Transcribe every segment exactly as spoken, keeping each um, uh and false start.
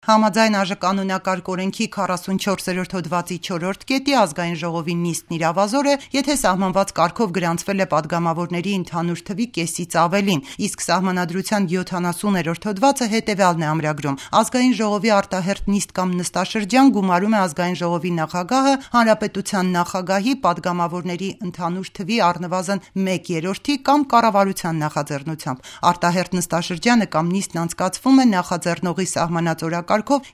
Համաձայն ԱԺ օրենքի քառասունչորսերորդ հոդվածի չորրորդ կետի ազգային ժողովի նիստն իրավազոր է, եթե սահմանված կարգով գրանցվել է պատգամավորների ընդհանուր թվի կեսից ավելին, իսկ Սահմանադրության յոթանասուներորդ հոդվածը հետևյալն է ամրագրում. ազգային ժողովի արտահերթ նիստ կամ նստաշրջան գումարում է ազգային ժողովի նախագահը հանրապետության նախագահի պատգամավորների ընդհանուր թվի առնվազն մեկ երրորդի կամ կառավարության նախաձեռնությամբ։ Արտահերթ նստաշրջանը կամ նիստն անցկացվում է նախաձեռնողի սահմանած օրակարգով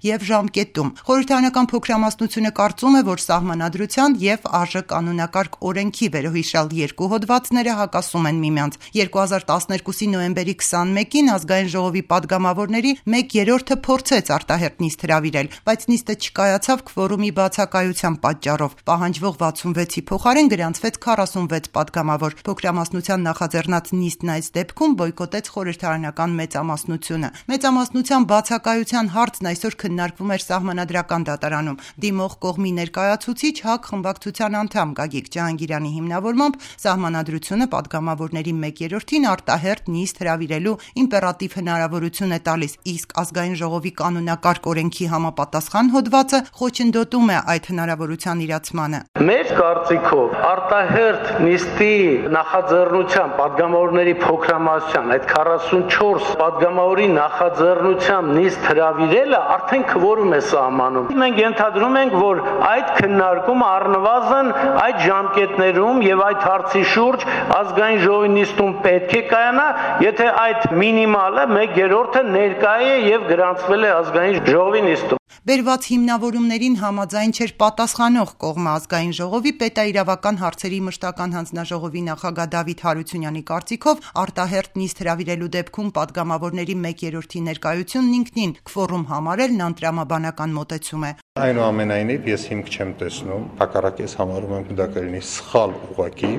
և ժամկետում։ Խորհրդարանական փոքրամասնությունը կարծում է, որ Սահմանադրության և ԱԺ կանոնակարգ օրենքի վերոհիշյալ երկու հոդվածները հակասում են միմյանց։ երկու հազար տասներկուսի նոյեմբերի քսանմեկին ազգային ժողովի պատգամավորների մեկ երրորդը փորձեց արտահերթ նիստ հրավիրել, բայց նիստը չկայացավ քվորումի բացակայության պատճառով։ Պահանջվող վաթսունվեցի փոխարեն գրանցվեց քառասունվեց պատգամավոր։ Փոքրամասնության նախաձեռնած նիստն այս դեպքում բոյկոտեց խորհրդարանական մեծամասնությունը։ Մեծամասնության բացակայության հարցն այսօր քննարկվում էր Սահմանադրական դատարանում։ Դիմող կողմի ներկայացուցիչ ՀԱԿ խմբակցության անդամ Գագիկ Ջհանգիրյանի հիմնավորմամբ Սահմանադրությունը պատգամավորների մեկ երրորդին արտահերթ նիստ հրավիրելու իմպերատիվ հնարավորություն է տալիս, իսկ ազգային ժողովի կանոնակարգ օրենքի համապատասխան հոդվածը խոչընդոտում է այդ հնարավորության իրացմանը։ Մեր կարծիքով արտահերթ նիստի նախաձեռնության պատգամավորների փոքրամասնության այդ քառասունչորս պատգամավորի նախաձեռնությամբ նիստ հրավիրելը արդեն քվորում է սահմանում։ Մենք ենթադրում ենք, որ այդ քննարկումը առնվազն այդ ժամկետներում եւ այդ հարցի շուրջ ազգային ժողովի նիստում պետք է կայանա, եթե այդ մինիմալը մեկ երրորդը ներկա է եւ գրանցվել է ազգային ժողովի նիստում։ Բերված հիմնավորումներին համաձայն չէր պատասխանող կողմը ազգային ժողովի պետաիրավական հարցերի մշտական հանձնաժողովի նախագահ Դավիթ Հարությունյանի կարծիքով արտահերթ նիստ հրավիրելու դեպքում պատգամավորների մեկ երրորդի ներկայությունն ինքնին քվորում համարելն անտրամաբանական մոտեցում է։ Այնուամենայնիվ ես հիմք չեմ տեսնում, հակառակ ես համարում եմ դա կլինի սխալ ուղղակի,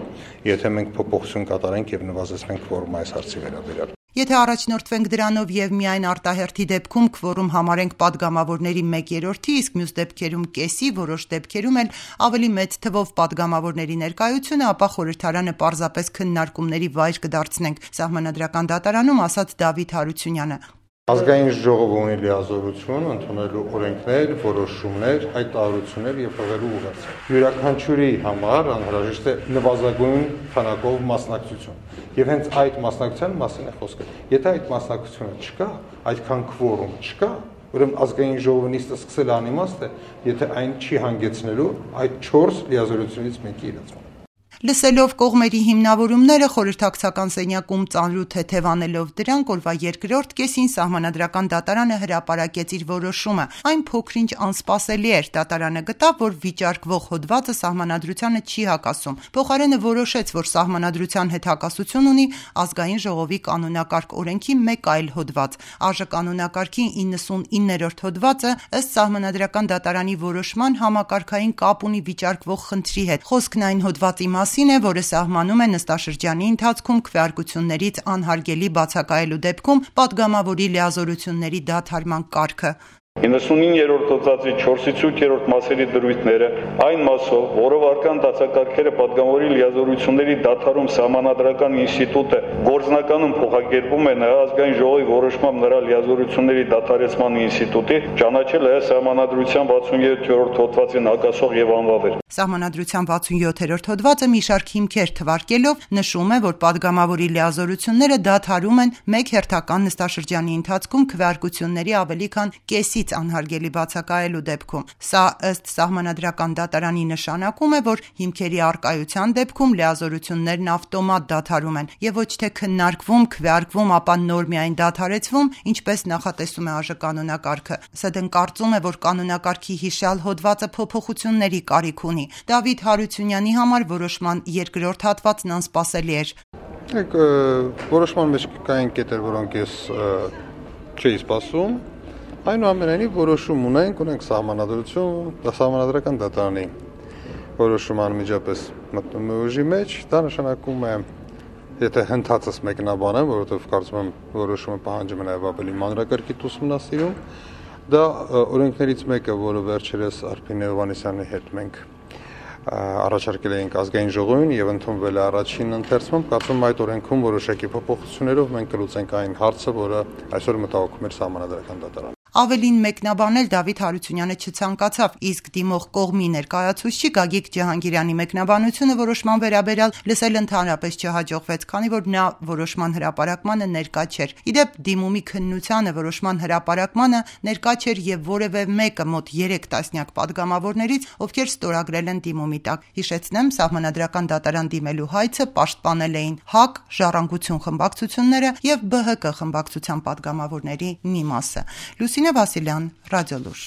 եթե մենք փոփոխություն կատարենք եւ նվազեցնենք քվորումը այս հարցի վերաբերյալ։ Եթե առաջնորդվենք դրանով եւ միայն արտահերթի դեպքում քվորում համարենք պատգամավորների մեկ երրորդի, իսկ մյուս դեպքերում կեսի, որոշ դեպքերում էլ ավելի մեծ թվով պատգամավորների ներկայությունը, ապա խորհրդարանը պարզապես քննարկումների վայր կդարձնենք, Սահմանադրական դատարանում ասաց Դավիթ Հարությունյանը։ Ազգային ժողովը ունի լիազորություն ընդունելու օրենքներ, որոշումներ, այդ տարություններ եւ հղելու ուղղարձ։ Յուրաքանչյուրի համար անհրաժեշտ է նվազագույն քանակով մասնակցություն։ Եվ հենց այդ մասնակցության մասին է խոսքը։ Եթե այդ մասնակցությունը չկա, այդքան քվորում չկա, ուրեմն ազգային ժողովի նիստը սկսել անիմաստ է, եթե այն չի հանգեցնելու այդ չորս լիազորությունից մեկի իրացման։ Լսելով կողմերի հիմնավորումները խորհրդակցական սենյակում ծանրու թեթևանելով դրանք օրվա երկրորդ կեսին Սահմանադրական դատարանը հրապարակեց իր որոշումը։ Այն փոքրինչ անսպասելի էր, դատարանը գտավ, որ վիճարկվող հոդվածը Սահմանադրությանը չի հակասում։ Փոխարենը որոշեց, որ Սահմանադրության հետ հակասություն ունի ազգային ժողովի կանոնակարգ օրենքի մեկ այլ հոդված։ ԱԺ կանոնակարգի իննսունիններորդ հոդվածը ըստ Սահմանադրական դատարանի որոշման համակարգային կապ ունի վիճարկվող խնդրի հետ։ Խոսքն այն հոդվածի մասին է, որը սահմանում է նստաշրջանի ընթացքում քվեարկություններից անհարգելի բացակայելու դեպքում պատգամավորի լիազորությունների դադարման կարգը։ իննսունիններորդ հոդվածի չորսից ութերորդ մասերի դրույթները այն մասով, որով արկան դասակարգերը պատգամավորի լիազորությունների դադարում Սահմանադրական ինստիտուտը գործնականում փոխակերպում է նրա ազգային ժողովի որոշմամբ նրա լիազորությունների դադարեցման ինստիտուտի, ճանաչել է Սահմանադրության վաթսունյոթերորդ հոդվածին հակասող եւ անվավեր։ Սահմանադրության վաթսունյոթերորդ հոդվածը մի շարք հիմքեր թվարկելով նշում է, որ պատգամավորի լիազորությունները դադարում են մեկ հերթական նստաշրջանի ընթացքում քվեարկությունների ավելի քան կեսից անհարգելի բացակայելու դեպքում։ Սա ըստ Սահմանադրական դատարանի նշանակում է, որ հիմքերի առկայության դեպքում լիազորություններն ավտոմատ դադարում են եւ ոչ թե քննարկվում, քվեարկվում, ապա նոր միայն դադարեցվում, ինչպես նախատեսում է ԱԺ կանոնակարգը։ ՍԴ-ն կարծում է, որ կանոնակարգի հիշյալ հոդվածը փոփոխությունների կարիք ունի։ Դավիթ Հարությունյանի համար որոշման երկրորդ հատվածն անսպասելի էր։ Եք որոշման մեջ կային կետեր, որոնք ես չէի սպասում։ Այնուամենայնիվ որոշում ունենք, ունենք Սահմանադրություն, Սահմանադրական դատարանի որոշումը անմիջապես մտնում է ուժի մեջ, դա նշանակում է, եթե հնդածս մեկնաբան եմ, որովհետև կարծում եմ որոշումը պահանջում է նաև ավելի մանրակարգիտ ուսումնասիրում, դա օրենքներից մեկը, որը վերջերս Արփին Հովհաննիսյանի հետ մենք առաջարկել էինք ազգային ժողովին եւ ընդունվել է առաջին ընթերցում, կարծում եմ այդ օրենքում որոշակի փոփոխություններով մենք կլուծենք այն հարցը, որը այսօր մտահոգում էր Սահմանադրական դատարանը։ Ավելին մեկնաբանել Դավիթ Հարությունյանը չցանկացավ, իսկ դիմող կողմի ներկայացուցիչ Գագիկ Ջհանգիրյանի մեկնաբանությունը որոշման վերաբերյալ լսել ընդհանրապես չհաջողվեց, քանի որ նա որոշման հրապարակմանը ներկա չէր։ Իդեպ դիմումի քննությանը որոշման հրապարակմանը ներկա չէր եւ որևէ մեկը մոտ երեք տասնյակ падգամավորներից, ովքեր ստորագրել են դիմումի տակ։ Հիշեցնեմ, Սահմանադրական դատարան դիմելու հայցը պաշտպանել էին ՀԱԿ, Ժառանգություն խմբակցությունները եւ ԲՀԿ խմբակցության падգամավորների մի մասը։ Լուսինե Վասիլյան, Ռադիոլուր։